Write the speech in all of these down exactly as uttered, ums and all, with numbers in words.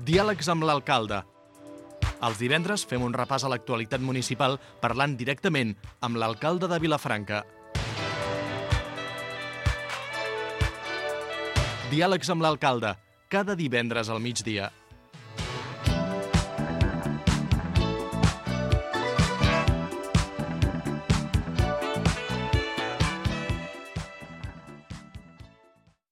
Diàlegs amb l'alcalde. Els divendres fem un repàs a l'actualitat municipal parlant directament amb l'alcalde de Vilafranca. Diàlegs amb l'alcalde, cada divendres al migdia.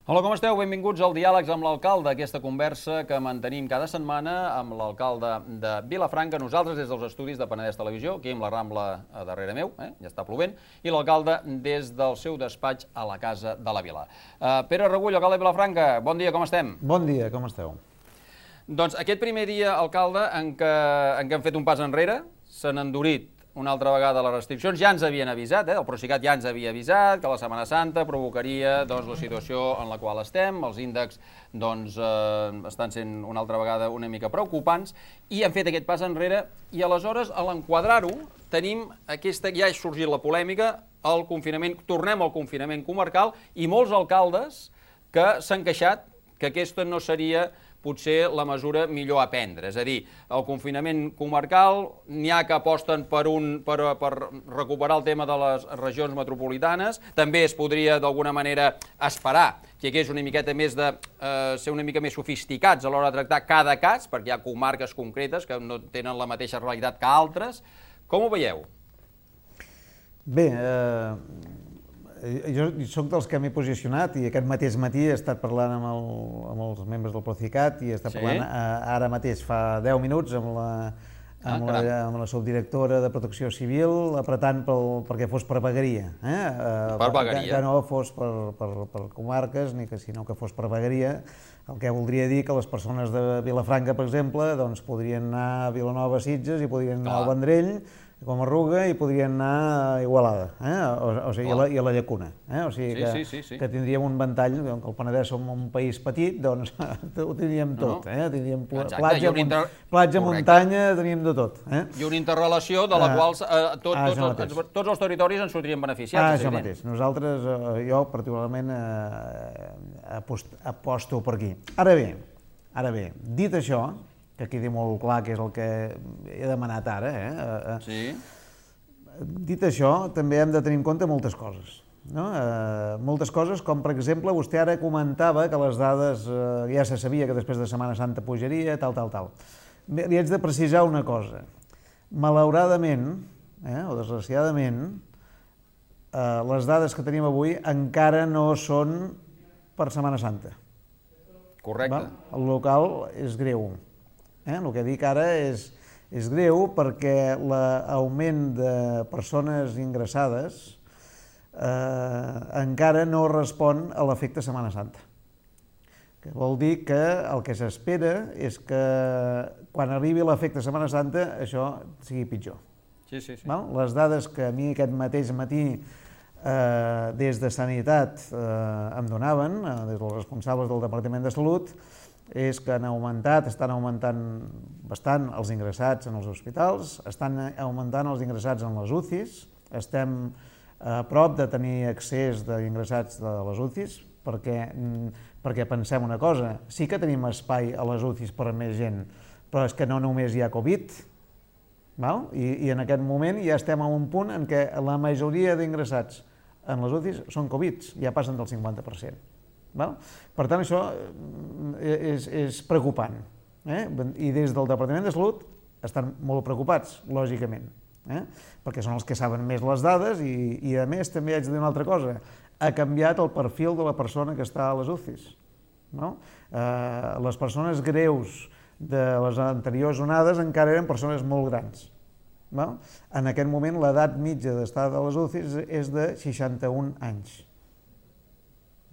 Hola, com esteu? Benvinguts al Diàlegs amb l'alcalde, aquesta conversa que mantenim cada setmana amb l'alcalde de Vilafranca, nosaltres des dels estudis de Penedès Televisió, aquí amb la Rambla a darrere meu, eh? ja està plovent, i l'alcalde des del seu despatx a la Casa de la Vila. Uh, Pere Regull, alcalde de Vilafranca, bon dia, com estem? Bon dia, com esteu? Doncs aquest primer dia, alcalde, en què, en què hem fet un pas enrere, s'han endurit una altra vegada les restriccions, ja ens havien avisat, eh? el Procicat ja ens havia avisat que la Setmana Santa provocaria doncs, la situació en la qual estem, els índexs doncs, eh, estan sent una altra vegada una mica preocupants, i hem fet aquest pas enrere, i aleshores, a l'enquadrar-ho, tenim aquesta, ja ha sorgit la polèmica, el confinament, tornem al confinament comarcal, i molts alcaldes que s'han queixat que aquesta no seria potser la mesura millor a prendre. És a dir, el confinament comarcal, n'hi ha que aposten per, un, per, per recuperar el tema de les regions metropolitanes, també es podria d'alguna manera esperar que hi hagués una miqueta més de eh, ser una mica més sofisticats a l'hora de tractar cada cas, perquè hi ha comarques concretes que no tenen la mateixa realitat que altres. Com ho veieu? Bé, eh, jo soc dels que m'he posicionat i aquest mateix matí he estat parlant amb, el, amb els membres del Procicat i he estat sí? parlant eh, ara mateix, fa deu minuts, amb la, amb, ah, la, amb la subdirectora de Protecció Civil, apretant pel, perquè fos per vegueria. Eh? Per vegueria. Que, que no fos per, per, per comarques, ni que, sinó que fos per vegueria, el que voldria dir que les persones de Vilafranca, per exemple, doncs, podrien anar a Vilanova, Sitges i podrien anar al Vendrell, com a Arruga, i podrien anar a Igualada, eh? o, o sigui, a la, i a la Llacuna. Eh? O sigui que, sí, sí, sí, sí. que tindríem un ventall, que el Penedès som un país petit, doncs ho tindríem tot. Eh? Tindríem Exacte, platja, inter... platja muntanya, teníem de tot. Eh? I una interrelació de la ah, qual eh, tot, ah, tots, els, tots els territoris en sortirien beneficiats. Ah, això mateix. Nosaltres, eh, jo particularment, eh, apost, aposto per aquí. Ara bé, ara bé, dit això, que quedi molt clar que és el que he demanat ara, eh? Sí. Dit això, també hem de tenir en compte moltes coses. No? Eh, moltes coses, com per exemple, vostè ara comentava que les dades, eh, ja se sabia que després de Setmana Santa pujaria, tal, tal, tal. Bé, li haig de precisar una cosa. Malauradament, eh, o desgraciadament, eh, les dades que tenim avui encara no són per Setmana Santa. Correcte. Va? El local és greu. Eh? El que dic ara és, és greu perquè l'augment de persones ingressades eh, encara no respon a l'efecte Setmana Santa. Que vol dir que el que s'espera és que quan arribi l'efecte Setmana Santa això sigui pitjor. Sí, sí, sí. Val? Les dades que a mi aquest mateix matí eh, des de Sanitat eh, em donaven, eh, des dels responsables del Departament de Salut, és que han augmentat, estan augmentant bastant els ingressats en els hospitals, estan augmentant els ingressats en les U C Is, estem a prop de tenir accés d'ingressats de les U C Is, perquè, perquè pensem una cosa, sí que tenim espai a les U C Is per a més gent, però és que no només hi ha Covid, val? I, i en aquest moment ja estem a un punt en què la majoria d'ingressats en les U C Is són Covid, ja passen del cinquanta per cent. Val? Per tant, això és, és preocupant. Eh? I des del Departament de Salut estan molt preocupats, lògicament, eh? perquè són els que saben més les dades i, i a més també haig de dir una altra cosa. Ha canviat el perfil de la persona que està a les U C Is. No? Eh, les persones greus de les anteriors onades encara eren persones molt grans. Val? En aquest moment l'edat mitja d'estar a les U C Is és de seixanta-un anys.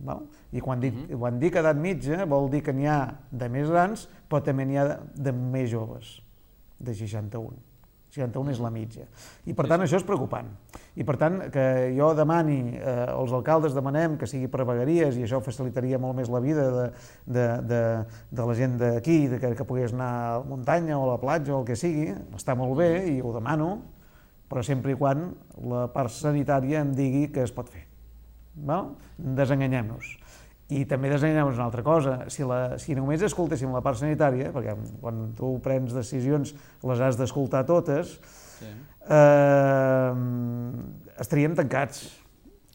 Val? I quan dic, uh-huh. quan dic edat mitja vol dir que n'hi ha de més grans, però també n'hi ha de, de més joves, de seixanta-un. seixanta-un és la mitja. I per tant això és preocupant. I per tant que jo demani, eh, els alcaldes demanem que sigui per vegueries i això facilitaria molt més la vida de, de, de, de la gent d'aquí, que, que pogués anar a la muntanya o a la platja o el que sigui, està molt bé i ho demano, però sempre i quan la part sanitària em digui que es pot fer. Val? Desenganyem-nos. I també desenganyem una altra cosa, si, la, si només escoltéssim la part sanitària, perquè quan tu prens decisions les has d'escoltar totes, sí. eh, estaríem tancats,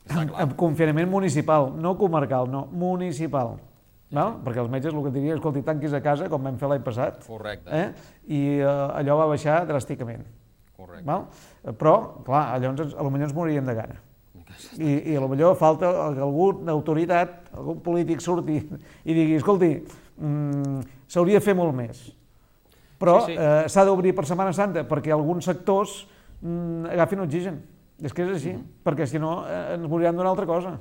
amb, amb confinament municipal, no comarcal, no, municipal. Val? Sí. Perquè els metges el que et dirien, escolti, tanquis a casa, com vam fer l'any passat, correcte. Eh? I eh, allò va baixar dràsticament. Correcte. Val? Però, clar, llavors potser ens moriríem de gana. I, i potser falta que alguna autoritat, algun polític surti i digui, escolti, mm, s'hauria de fer molt més, però s'ha sí, sí. eh, d'obrir per Setmana Santa perquè alguns sectors mm, agafin oxigen. És que és així, mm -hmm. perquè si no eh, ens moriran d'una altra cosa.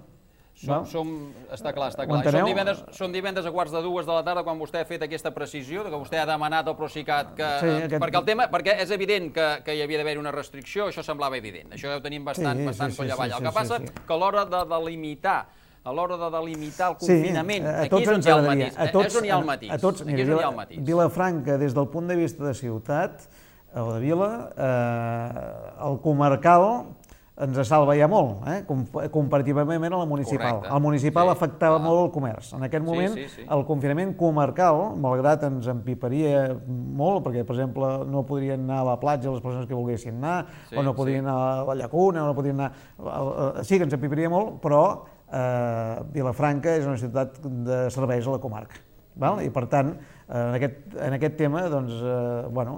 Som, som, està clar, està clar. Són divendres, són divendres a quarts de dues de la tarda quan vostè ha fet aquesta precisió, que vostè ha demanat al Procicat que... Sí, aquest... perquè, el tema, perquè és evident que, que hi havia d'haver una restricció, això semblava evident, això ja ho tenim bastant, sí, bastant sí, coll avall. Sí, sí, el que passa sí, sí. que a l'hora de delimitar a l'hora de delimitar el confinament, sí, aquí és on hi ha el matís. És on hi ha el matís. A tots, mira, Vila, Vilafranca, des del punt de vista de ciutat, o de vila, eh, el comarcal ens salva ja molt, eh? comparativament a la municipal. Correcte. El municipal sí, afectava clar. molt el comerç. En aquest moment, sí, sí, sí. el confinament comarcal, malgrat ens empiparia molt, perquè, per exemple, no podrien anar a la platja les persones que volguessin anar, sí, o no podrien sí. anar a la llacuna, o no podrien anar... Sí que ens empiparia molt, però eh, Vilafranca és una ciutat de serveis a la comarca. Val? I, per tant, en aquest, en aquest tema, doncs, eh, bueno,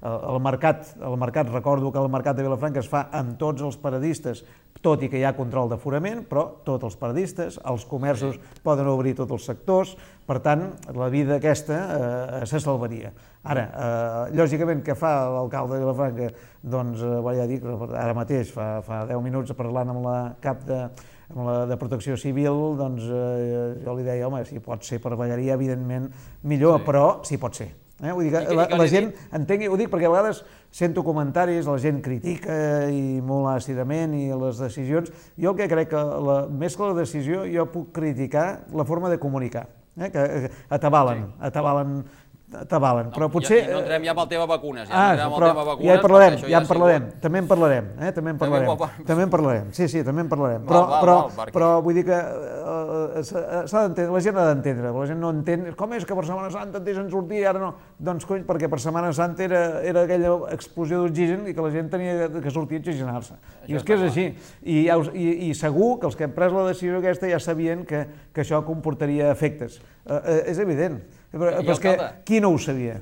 el mercat, el mercat, recordo que el mercat de Vilafranca es fa amb tots els paradistes, tot i que hi ha control d'aforament, però tots els paradistes, els comerços sí. poden obrir tots els sectors, per tant, la vida aquesta eh, se salvaria. Ara, eh, lògicament, què fa l'alcalde de Vilafranca? Doncs, eh, ja dic, ara mateix, fa, fa deu minuts, parlant amb la cap de... amb la de Protecció Civil, doncs eh, jo li deia, home, si pot ser per vegueria, evidentment millor, sí. però sí pot ser. Eh? Vull dir que la, la gent entengui, ho dic perquè a vegades sento comentaris, la gent critica i molt àcidament i les decisions. Jo el que crec que, la, més que la decisió, jo puc criticar la forma de comunicar, eh? que, que atabalen, sí. atabalen t'avalen, però potser... Ja, no entrem ja amb el tema vacunes, ja ah, entrem amb però el tema vacunes... Ja en parlarem, ja, ja en parlarem, sigut... també en parlarem, eh? també en parlarem, també, també en parlarem, sí, sí, també en parlarem, però, val, val, però, val, perquè... però vull dir que uh, s'ha d'entendre, la gent ha d'entendre, la gent no entén, com és que per Setmana Santa et deixen sortir i ara no? Doncs cony, perquè per Setmana Santa era, era aquella explosió d'oxigen i que la gent tenia que sortir a oxigenar-se, i és que és així, I, i, i segur que els que han pres la decisió aquesta ja sabien que, que això comportaria efectes, uh, uh, és evident, però, però és que qui no ho sabia?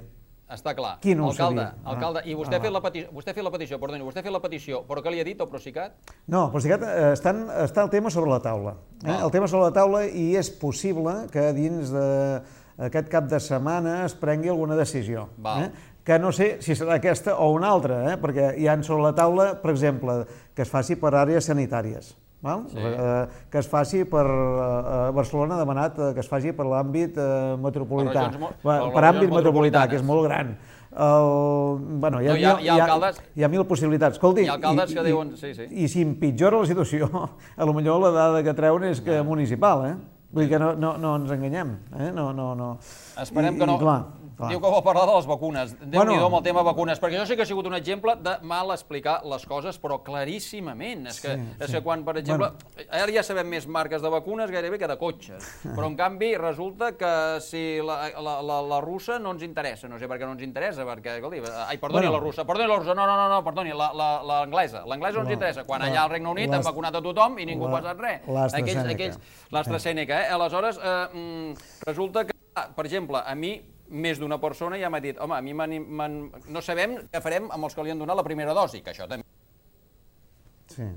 Està clar. Qui no ho alcalde, sabia? alcalde, ah, i vostè, ah, ha fet la petició, vostè ha fet la petició, perdoni, vostè ha fet la petició, però què li ha dit al Procicat? No, el Procicat eh, està, està el tema sobre la taula. Eh? El tema sobre la taula i és possible que dins d'aquest cap de setmana es prengui alguna decisió. Eh? Que no sé si serà aquesta o una altra, eh? perquè hi ha sobre la taula, per exemple, que es faci per àrees sanitàries. Val? Sí. Eh, que es faci per eh, Barcelona, ha demanat eh, que es faci per l'àmbit eh, metropolità, per, per, per àmbit metropolità, que és molt gran. El, bueno, hi, ha, no, hi, ha, hi, ha alcaldes, hi, ha, hi ha mil possibilitats. Escolti, hi ha alcaldes i, que diuen... Sí, sí. I, i si empitjora la situació, a lo millor la dada que treuen és que no. municipal, eh? Vull dir que no, no, no ens enganyem. Eh? No, no, no. Esperem I, que no... I, clar, clar. Diu que vol parlar de les vacunes. Déu-n'hi-do bueno, amb el tema vacunes, perquè això sí que ha sigut un exemple de mal explicar les coses, però claríssimament. És que, sí, és sí. que quan, per exemple, bueno. ara ja sabem més marques de vacunes gairebé que de cotxes, però en canvi resulta que si la, la, la, la russa no ens interessa, no sé per què no ens interessa, perquè, escolti, ai, perdoni bueno. la russa, perdoni la russa, no, no, no, no perdoni, l'anglesa, l'anglesa no ens interessa. Quan allà al Regne Unit han vacunat a tothom i ningú ha passat res. L'AstraZeneca. L'AstraZeneca, eh? Aleshores, eh, resulta que, per exemple, a mi més d'una persona ja m'ha dit, home, a mi no sabem què farem amb els que li han donat la primera dosi, que això també... Sí.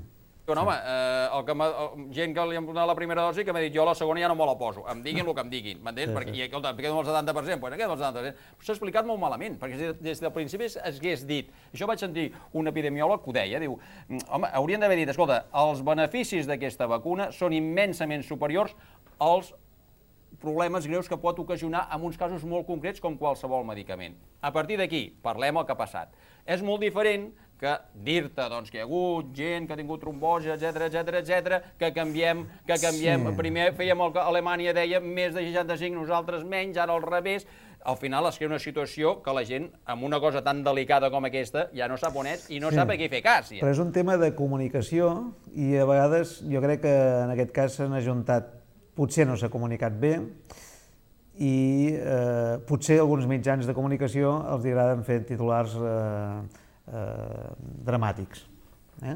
Però, home, eh, el que el, gent que li han donat la primera dosi que m'ha dit jo la segona ja no me la poso, em diguin el que em diguin, m'entens? Sí, perquè, sí. I, escolta, em quedo amb el setanta per cent, doncs em quedo amb el setanta per cent. S'ha explicat molt malament, perquè des del principi es hagués dit, això vaig sentir un epidemiòleg que ho deia, diu, home, haurien d'haver dit, escolta, els beneficis d'aquesta vacuna són immensament superiors als problemes greus que pot ocasionar en uns casos molt concrets com qualsevol medicament. A partir d'aquí, parlem el que ha passat. És molt diferent que dir-te doncs, que hi ha hagut gent que ha tingut trombosi, etcètera, etcètera, etcètera, que canviem, que canviem. Sí. Primer fèiem el que Alemanya deia més de seixanta-cinc, nosaltres menys, ara al revés. Al final es crea una situació que la gent, amb una cosa tan delicada com aquesta, ja no sap on és i no sí. sap a qui fer cas. Però és un tema de comunicació i a vegades jo crec que en aquest cas s'han ajuntat potser no s'ha comunicat bé i eh, potser alguns mitjans de comunicació els agraden fer titulars eh, eh, dramàtics. Eh?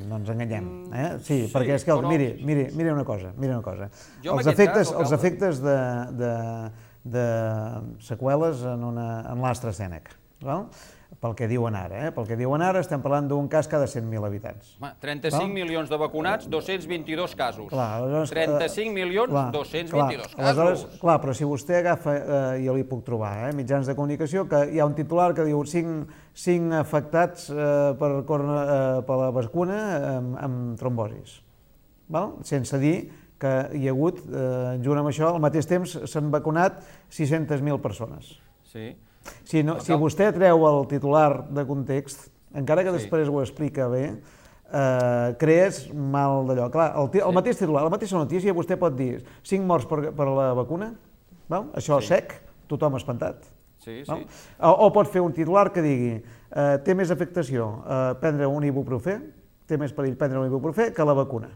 No ens enganyem. Eh? Sí, sí, perquè és que, però... miri, miri, miri una cosa, miri una cosa. Els efectes, cas, els efectes de, de, de seqüeles en, una, en l'AstraZeneca, val? Pel que diuen ara, eh? Pel que diuen ara estem parlant d'un cas cada cent mil habitants. Home, trenta-cinc milions de vacunats, dos-cents vint-i-dos casos. Clar, trenta-cinc milions, dos-cents vint-i-dos casos. Aleshores, clar, però si vostè agafa, eh, jo li puc trobar, eh, mitjans de comunicació, que hi ha un titular que diu cinc afectats eh, per, eh, per la vacuna amb, amb trombosis. Val? Sense dir que hi ha hagut, eh, junt amb això, al mateix temps s'han vacunat sis-centes mil persones. Sí. Si, no, si vostè treu el titular de context, encara que després ho explica bé, eh, crees mal d'allò. Clar, el, el mateix titular, la mateixa notícia, vostè pot dir cinc morts per, per la vacuna, val? Això sí. Sec, tothom espantat. Sí, sí. O, o pot fer un titular que digui eh, té més afectació eh, prendre un ibuprofè, té més perill prendre un ibuprofè que la vacuna.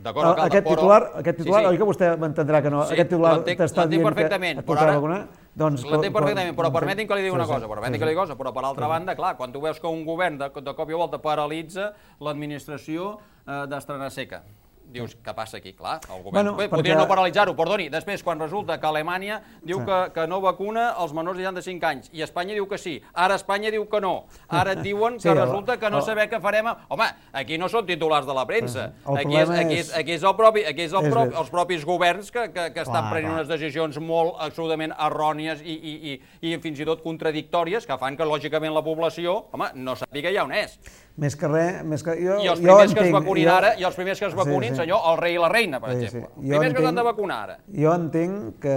D'acord, alcalde, aquest titular, aquest titular sí, sí. Oi que vostè m'entendrà que no, sí, aquest titular t'està dient que et tocarà vacunar? Doncs, l'entenc perfectament, però permetin que li digui una cosa, permetin que li digui una cosa, però per altra banda, clar, quan tu veus que un govern de, de cop i volta paralitza l'administració eh, d'AstraZeneca, dius, què passa aquí? Clar, el govern... Bueno, Bé, podria perquè... no paralitzar-ho, perdoni. Després, quan resulta que Alemanya diu sí. que, que no vacuna els menors de seixanta-cinc anys, i Espanya diu que sí, ara Espanya diu que no, ara et diuen que sí, resulta que no saber què farem... Home, aquí no són titulars de la premsa, aquí és, aquí és, aquí és, el propi, aquí és, el propi, els propis governs que, que, que estan clar, prenent clar. unes decisions molt absolutament errònies i, i, i, i fins i tot contradictòries, que fan que, lògicament, la població, home, no sàpiga ja on és. Més que res... Més que, jo, I els primers jo que es vacunin jo... ara, i els primers que es vacunin, sí, sí. senyor, el rei i la reina, per sí, exemple. Sí. Els primers entenc, que s'han de vacunar ara. Jo entenc que,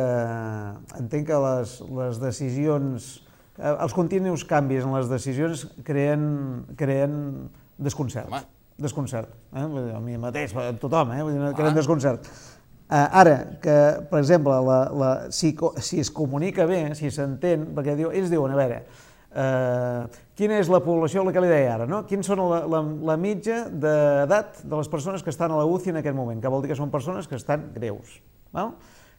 entenc que les, les decisions, els continus canvis en les decisions creen, creen desconcert. Home. Desconcert. Eh? A mi mateix, a tothom, eh? creen ah. desconcert. Uh, ara, que, per exemple, la, la, si, si es comunica bé, si s'entén, perquè diu, ells diuen, a veure, Uh, quina és la població, el que li deia ara, no? Quins són la, la, la mitja d'edat de les persones que estan a la U C I en aquest moment, que vol dir que són persones que estan greus. Val?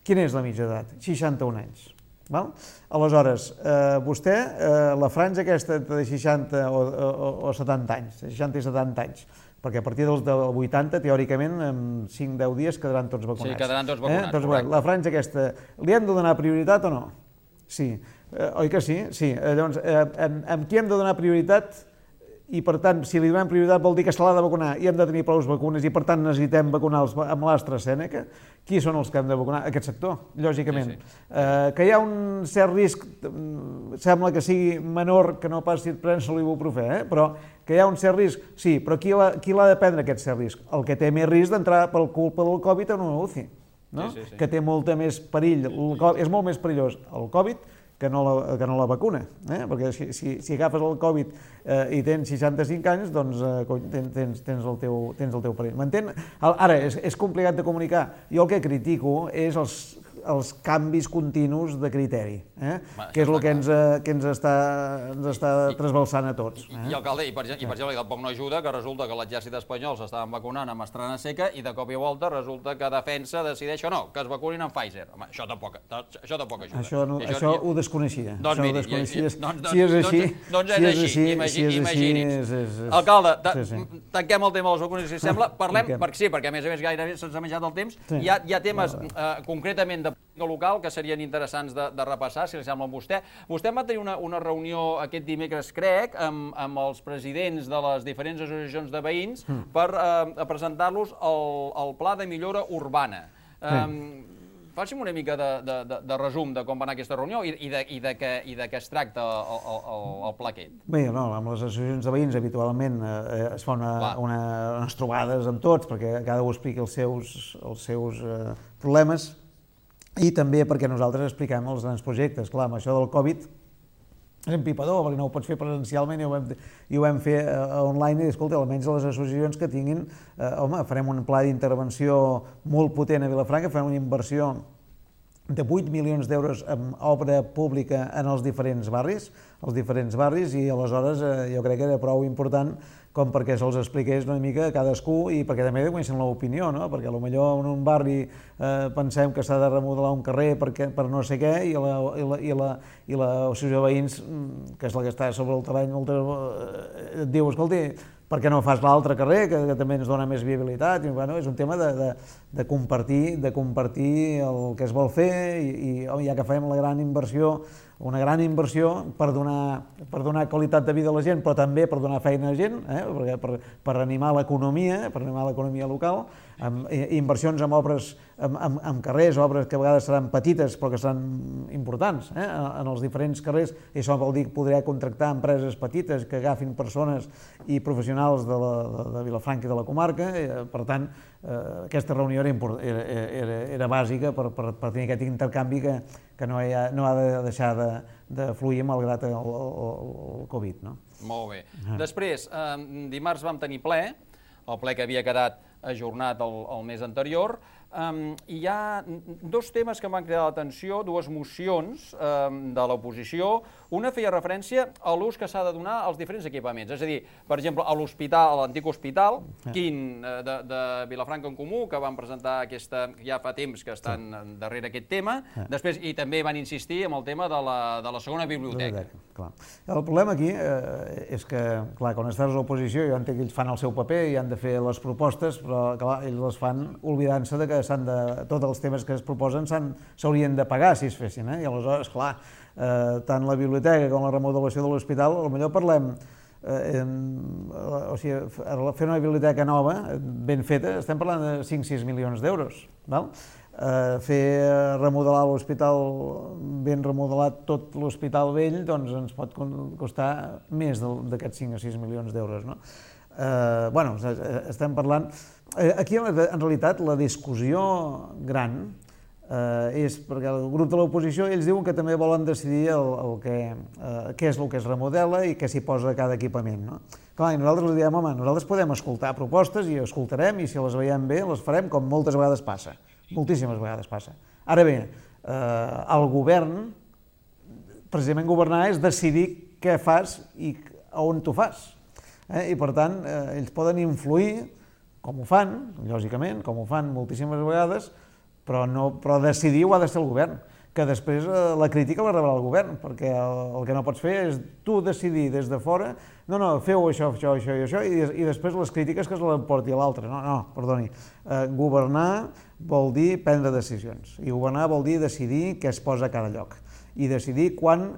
Quina és la mitja d'edat? seixanta-un anys. Val? Aleshores, uh, vostè, uh, la franja aquesta de seixanta o, o, o setanta anys, seixanta i setanta anys, perquè a partir dels del vuitanta, teòricament, en cinc a deu dies quedaran tots vacunats. Sí, quedaran tots vacunats, eh? doncs, la franja aquesta, li hem de donar prioritat o no? Sí. Eh, oi que sí? Sí. Eh, llavors, eh, amb, amb qui hem de donar prioritat i, per tant, si li donem prioritat vol dir que se l'ha de vacunar i hem de tenir prou vacunes i, per tant, necessitem vacunar els, amb l'AstraZeneca, qui són els que hem de vacunar? Aquest sector, lògicament. Sí, sí. Eh, que hi ha un cert risc, sembla que sigui menor que no pas si et prens l'ibuprofè, eh? però que hi ha un cert risc, sí, però qui l'ha de prendre aquest cert risc? El que té més risc d'entrar per culpa del Covid en una U C I, no? Sí, sí, sí. Que té molta més perill, és molt més perillós el Covid que no la, que no la vacuna, eh? perquè si, si, si agafes el Covid eh, i tens seixanta-cinc anys, doncs eh, tens, tens, el teu, tens el teu perill. M'entén? Ara, és, és complicat de comunicar. Jo el que critico és els, els canvis continus de criteri, eh? Va, que és el que ens, que ens està, ens està trasbalsant a tots. Eh? I, alcalde, i per, i per exemple, tampoc no ajuda que resulta que l'exèrcit espanyol s'estaven vacunant amb AstraZeneca i de cop i volta resulta que Defensa decideix o no, que es vacunin amb Pfizer. Home, això tampoc, això tampoc ajuda. Això, no, això, això ho desconeixia. Doncs miri, desconeixia. Doncs, si és així, doncs és així, imagini's. Alcalde, tanquem el tema de les vacunes, si sembla, parlem, perquè sí, perquè a més a més gairebé se'ns ha menjat el temps, hi ha temes concretament de política local que serien interessants de, de repassar, si li sembla amb vostè. Vostè va tenir una, una reunió aquest dimecres, crec, amb, amb els presidents de les diferents associacions de veïns mm. per eh, presentar-los el, el pla de millora urbana. Eh, Faci'm una mica de, de, de, de resum de com va anar aquesta reunió i, i, de, i, de, que, i de què es tracta el, el, el pla aquest. Bé, no, amb les associacions de veïns habitualment eh, es fa una, una, unes trobades amb tots perquè cada un expliqui els seus, els seus eh, problemes i també perquè nosaltres expliquem els grans projectes. Clar, amb això del Covid és empipador, perquè no ho pots fer presencialment i ho vam, i ho vam fer uh, online i, escolta, almenys les associacions que tinguin, uh, home, farem un pla d'intervenció molt potent a Vilafranca, farem una inversió de vuit milions d'euros en obra pública en els diferents barris, els diferents barris, i aleshores jo crec que era prou important com perquè se'ls expliqués una mica a cadascú i perquè també coneixen l'opinió, no? Perquè potser en un barri eh, pensem que s'ha de remodelar un carrer perquè, per no sé què, i la, i la, i la, i l'associació de veïns, que és la que està sobre el terreny, et diu, escolti, per què no fas l'altre carrer, que, que també ens dona més viabilitat? I, bueno, és un tema de, de, de, compartir, de compartir el que es vol fer i, i ja que fem la gran inversió, una gran inversió per donar, per donar qualitat de vida a la gent, però també per donar feina a la gent, eh? per, per, per animar l'economia, per animar l'economia local, amb inversions en obres, en, en, en carrers, obres que a vegades seran petites però que seran importants eh? en els diferents carrers, i això vol dir que podrà contractar empreses petites que agafin persones i professionals de, la, de, de Vilafranca i de la comarca. Per tant, eh, aquesta reunió era, era, era, era bàsica per, per, per tenir aquest intercanvi que, que no, ha, no ha de deixar de, de fluir malgrat el, el, el Covid. No? Molt bé. Ah. Després, eh, dimarts vam tenir ple, el ple que havia quedat ajornat el, el mes anterior, um, i hi ha dos temes que m'han cridat l'atenció, dues mocions um, de l'oposició. Una feia referència a l'ús que s'ha de donar als diferents equipaments, és a dir, per exemple, a l'hospital, a l'antic hospital, Quint, de, de Vilafranca en Comú, que van presentar aquesta, ja fa temps que estan sí. darrere aquest tema, després, i també van insistir en el tema de la, de la segona biblioteca. Clar. El problema aquí eh, és que, clar, quan estàs a l'oposició, jo entenc que ells fan el seu paper i han de fer les propostes, però clar, ells les fan oblidant-se de que s'han de, tots els temes que es proposen s'haurien de pagar si es fessin, eh? I aleshores, clar, eh, tant la biblioteca com la remodelació de l'hospital, potser parlem, eh, en, o sigui, fer una biblioteca nova, ben feta, estem parlant de cinc o sis milions d'euros, val? Eh, fer remodelar l'hospital, ben remodelat tot l'hospital vell, doncs ens pot costar més d'aquests cinc o sis milions d'euros, no? Eh, bueno, estem parlant... Aquí, en realitat, la discussió gran eh, és perquè el grup de l'oposició, ells diuen que també volen decidir el, el que, eh, què és el que es remodela i què s'hi posa a cada equipament, no? Clar, i nosaltres els diem, home, nosaltres podem escoltar propostes i escoltarem, i si les veiem bé, les farem, com moltes vegades passa, moltíssimes vegades passa. Ara bé, eh, el govern, precisament governar és decidir què fas i on t'ho fas. Eh? I per tant, eh, ells poden influir, com ho fan, lògicament, com ho fan moltíssimes vegades, però, no, però decidir ho ha de ser el govern, que després eh, la crítica la rebrà el govern, perquè el, el que no pots fer és tu decidir des de fora, no, no, feu això, això, això i això, i, i després les crítiques que es l'emporti a l'altre. No, no, perdoni. Eh, governar vol dir prendre decisions, i governar vol dir decidir què es posa a cada lloc, i decidir quan...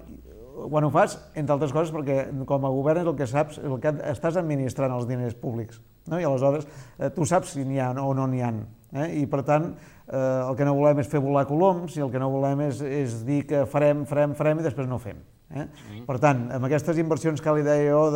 quan ho fas, entre altres coses, perquè com a govern és el que saps, el que estàs administrant els diners públics, no? I aleshores eh, tu saps si n'hi ha o no n'hi ha, eh? I per tant eh, el que no volem és fer volar coloms, i el que no volem és, és dir que farem, farem, farem i després no fem. Eh? Mm. Per tant, amb aquestes inversions que li deia jo,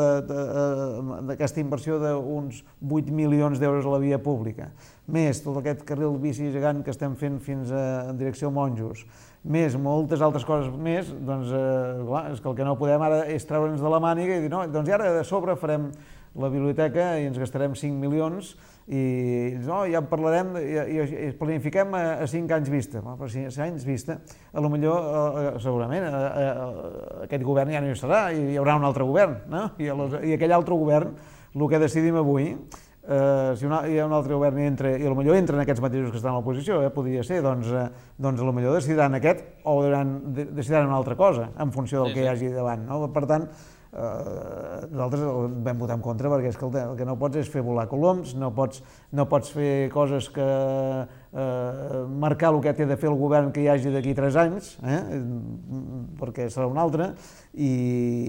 d'aquesta inversió d'uns vuit milions d'euros a la via pública, més tot aquest carril bici gegant que estem fent fins a, en direcció a Monjos, més moltes altres coses més, doncs eh, clar, és que el que no podem ara és treure'ns de la màniga i dir, no, doncs ara de sobre farem la biblioteca i ens gastarem cinc milions i no, ja en parlarem i, i, i planifiquem a, a cinc anys vista. Bueno, però cinc anys vista, a lo millor, eh, segurament, eh, eh, aquest govern ja no hi serà, i hi haurà un altre govern, no? I, los, i aquell altre govern, el que decidim avui, eh, si una, hi ha un altre govern i, entra, i a lo millor entren aquests mateixos que estan a l'oposició, eh, podria ser, doncs, eh, doncs a lo millor decidiran aquest o decidiran una altra cosa, en funció del sí, que hi hagi davant, no? Per tant, Uh, nosaltres vam votar en contra perquè és que el, el que no pots és fer volar coloms, no pots, no pots fer coses que uh, marcar el que té de fer el govern que hi hagi d'aquí tres anys, eh? Perquè serà un altre, i,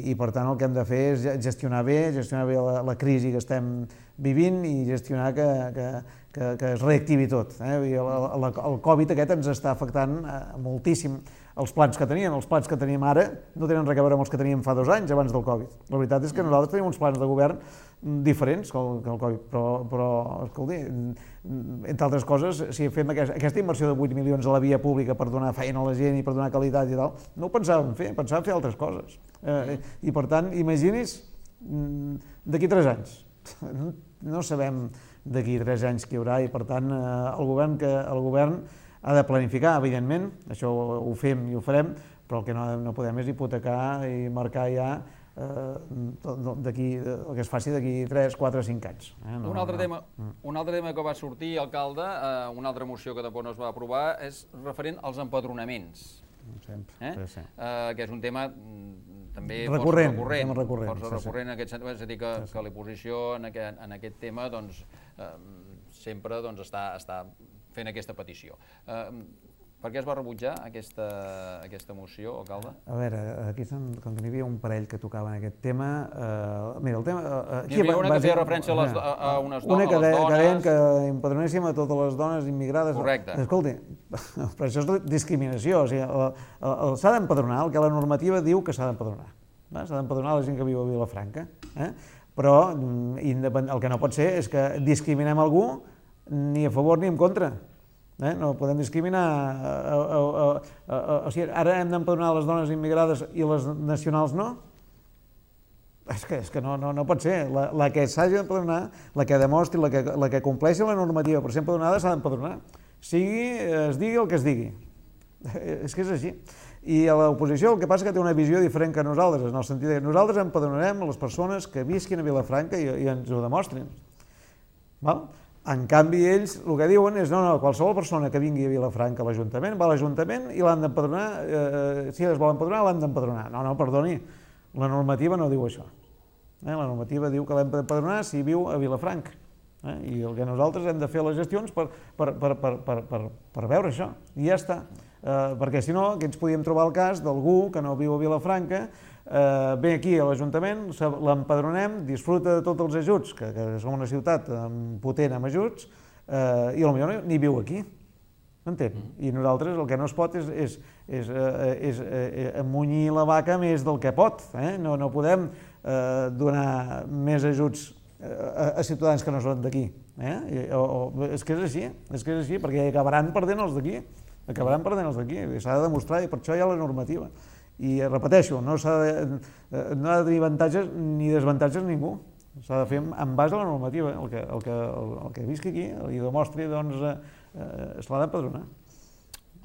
i per tant el que hem de fer és gestionar bé, gestionar bé la, la crisi que estem vivint i gestionar que, que, que, que es reactivi tot. Eh? I el, el, el Covid aquest ens està afectant uh, moltíssim. Els plans que teníem, els plans que tenim ara no tenen res a veure amb els que teníem fa dos anys abans del Covid. La veritat és que nosaltres tenim uns plans de govern diferents que el, que el Covid, però, però escolti, entre altres coses, si fem aquesta, aquesta inversió de vuit milions a la via pública per donar feina a la gent i per donar qualitat i tal, no ho pensàvem fer, pensàvem fer altres coses. Eh, I per tant, imagini's d'aquí tres anys. No sabem d'aquí tres anys què hi haurà i per tant el govern, que, el govern ha de planificar, evidentment, això ho fem i ho farem, però el que no, no podem és hipotecar i marcar ja d'aquí, el que es faci d'aquí tres, quatre, cinc anys. Un altre tema, un altre tema que va sortir, alcalde, una altra moció que tampoc no es va aprovar, és referent als empadronaments. Sempre, sí, sí. Que és un tema també recurrent, força recurrent, recurrent, força recurrent en aquest sentit, és a dir, que, sí, sí. que l'oposició en, aquest, en aquest tema doncs, eh, sempre doncs, està, està fent aquesta petició. Eh, per què es va rebutjar aquesta, aquesta moció, alcalde? A veure, aquí com que n'hi havia un parell que tocaven aquest tema, eh, mira, el tema... Eh, N'hi havia una que feia referència a, les, a, a unes una dones, que, a les dones... que deien que empadronéssim a totes les dones immigrades... Correcte. Escolti, però això és discriminació, o sigui, s'ha d'empadronar, el que la normativa diu que s'ha d'empadronar. S'ha d'empadronar la gent que viu a Vilafranca, eh? Però el que no pot ser és que discriminem algú ni a favor ni en contra. Eh? No podem discriminar, a, a, a, a, a, o sigui, ara hem d'empadronar les dones immigrades i les nacionals no? És que, és que no, no, no pot ser, la, la que s'hagi d'empadronar, la que demostri, la que, la que compleixi la normativa per ser empadronada s'ha d'empadronar, sigui, es digui el que es digui, és que és així. I a l'oposició el que passa és que té una visió diferent que nosaltres, en el sentit que nosaltres empadronarem les persones que visquin a Vilafranca i, i ens ho demostrin. Val? En canvi, ells el que diuen és no, no, qualsevol persona que vingui a Vilafranca a l'Ajuntament va a l'Ajuntament i l'han d'empadronar, eh, si es vol empadronar, l'han d'empadronar. No, no, perdoni, la normativa no diu això. Eh? La normativa diu que l'hem d'empadronar si viu a Vilafranca. Eh? I el que nosaltres hem de fer les gestions per, per, per, per, per, per, per veure això, i ja està. Eh, perquè si no, aquí ens podíem trobar el cas d'algú que no viu a Vilafranca, eh, ve aquí a l'Ajuntament, l'empadronem, disfruta de tots els ajuts, que, que som una ciutat potent amb ajuts, eh, i potser ni viu aquí, m'entén? I nosaltres el que no es pot és, és, és, eh, és eh, amunyir la vaca més del que pot, eh? no, no podem eh, donar més ajuts a, a ciutadans que no són d'aquí, eh? o, o, és que és així, és que és així, perquè acabaran perdent els d'aquí, acabaran perdent els d'aquí, s'ha de demostrar, i per això hi ha la normativa. I repeteixo, no s'ha de, no ha de tenir avantatges ni desavantatges ningú, s'ha de fer en base a la normativa, el que, el que, el, el que visqui aquí i demostri, doncs, eh, se l'ha d'empadronar.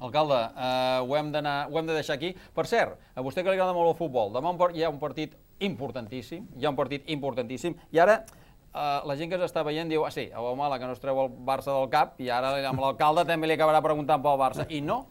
Alcalde, eh, ho, hem ho hem de deixar aquí. Per cert, a vostè que li agrada molt el futbol, demà hi ha un partit importantíssim, hi ha un partit importantíssim, i ara eh, la gent que ens està veient diu, ah sí, a Baumala que no es treu el Barça del cap, i ara amb l'alcalde també li acabarà preguntant pel Barça. I no,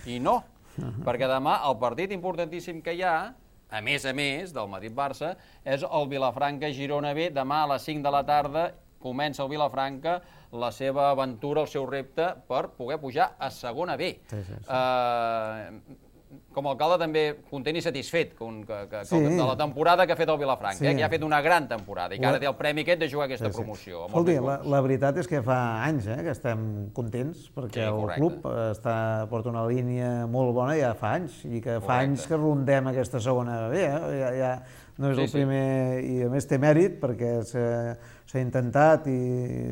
i no. Perquè demà el partit importantíssim que hi ha, a més a més del Madrid-Barça, és el Vilafranca-Girona B. Demà a les cinc de la tarda comença el Vilafranca la seva aventura, el seu repte per poder pujar a segona B. Sí, sí, sí. Uh, com a alcalde també content i satisfet que, que, sí. de la temporada que ha fet el Vilafranca, sí. eh, que ha fet una gran temporada i que ara té el premi aquest de jugar aquesta sí, sí. promoció. Escolti, la, la veritat és que fa anys eh, que estem contents perquè sí, el correcte. club està, porta una línia molt bona ja fa anys i que fa correcte. anys que rondem aquesta segona B. Eh? Ja, ja no és sí, el primer sí. i a més té mèrit perquè s'ha intentat i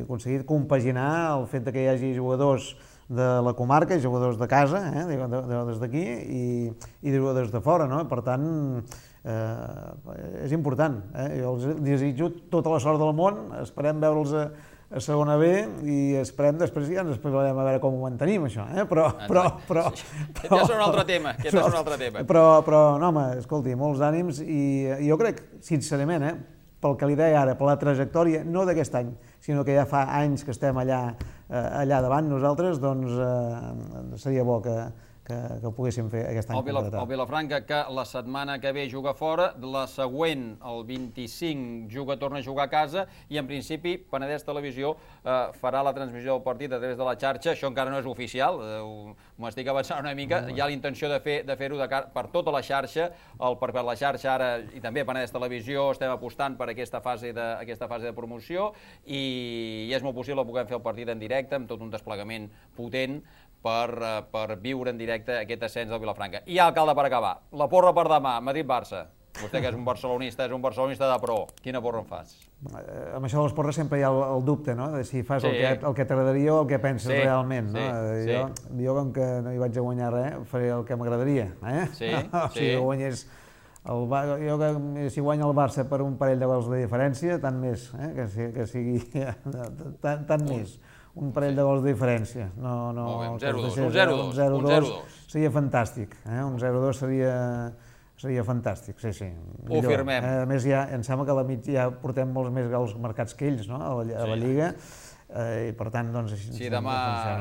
aconseguit compaginar el fet que hi hagi jugadors de la comarca, i jugadors de casa, eh, des d'aquí, i, i jugadors de fora, no? Per tant, eh, és important. Eh? Jo els desitjo tota la sort del món, esperem veure'ls a, a segona B i esperem després ja ens esperarem a veure com ho mantenim, això, eh? Però... però, però, però ja és un altre tema, ja és un altre tema. Però, però, no, home, escolti, molts ànims, i jo crec, sincerament, eh, pel que li deia ara, per la trajectòria, no d'aquest any, sinó que ja fa anys que estem allà, eh, allà davant nosaltres, doncs eh, seria bo que, que, que ho poguéssim fer aquest any. El, Vila, el Vilafranca, que la setmana que ve juga fora, la següent, el vint-i-cinc, juga, torna a jugar a casa, i en principi Penedès Televisió eh, farà la transmissió del partit a través de la xarxa. Això encara no és oficial, eh, m'estic avançant una mica, hi ha la intenció de fer de fer-ho per tota la xarxa, el, per, per la xarxa ara, i també Penedès Televisió, estem apostant per aquesta fase de, aquesta fase de promoció, i, i és molt possible que puguem fer el partit en directe, amb tot un desplegament potent, Per, per viure en directe aquest ascens del Vilafranca. I alcalde, per acabar, la porra per demà, Madrid-Barça. Vostè que és un barcelonista, és un barcelonista de pro. Quina porra en fas? Eh, amb això de les porres sempre hi ha el, el dubte, no?, de si fas sí. el que, el que t'agradaria o el que penses sí. realment. No? Sí. Jo, sí. jo, com que no hi vaig a guanyar res, faré el que m'agradaria. Eh? Sí, o sigui, sí. guanyés el, jo que si guanya el Barça per un parell de gols de diferència, tant més, eh? que, que sigui tant, tant més. un parell de gols de diferència. No, no, Molt bé, un que zero es dos, deixés, un zero eh, dos, zero un dos zero dos. seria fantàstic, eh? Un zero dos seria, seria fantàstic, sí, sí. Ho firmem. A més, ja, em sembla que a la mig ja portem molts més gols marcats que ells, no?, a la, a la Lliga. Eh, i per tant, doncs... Així si demà,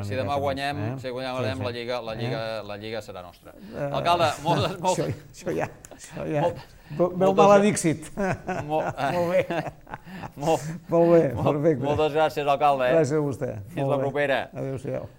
si demà guanyem, eh? si guanyem sí, sí. la, Lliga, la, Lliga, eh? la Lliga serà nostra. Alcalde, moltes... moltes... Això, això ja, això ja... Molt, veu maledíxit. Molt, molt bé. Molt, molt bé, molt, perfecte. Moltes gràcies, alcalde. Eh? Gràcies a vostè. Fins la propera. Adéu-siau.